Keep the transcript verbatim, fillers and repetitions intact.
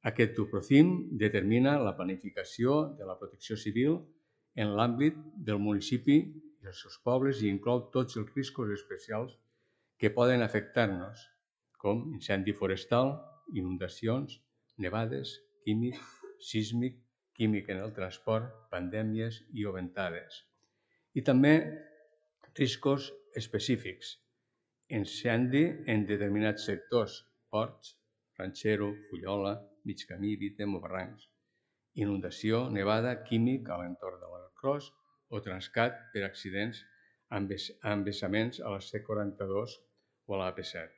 Aquest Tuprocim determina la planificació de la protecció civil en l'àmbit del municipi i els seus pobles i inclou tots els riscos especials que poden afectar-nos, com incendi forestal, inundacions, nevades, químic, sísmic, químic en el transport, pandèmies i o ventades. I també riscos específics, incendi en determinats sectors, ports, Ranxero, Fullola, Migcamí, Vítem o Barrancs, inundació, nevada, químic a l'entorn de l'Arcrós o Transcat per accidents amb vessaments a la C quaranta-dos o a la A P set.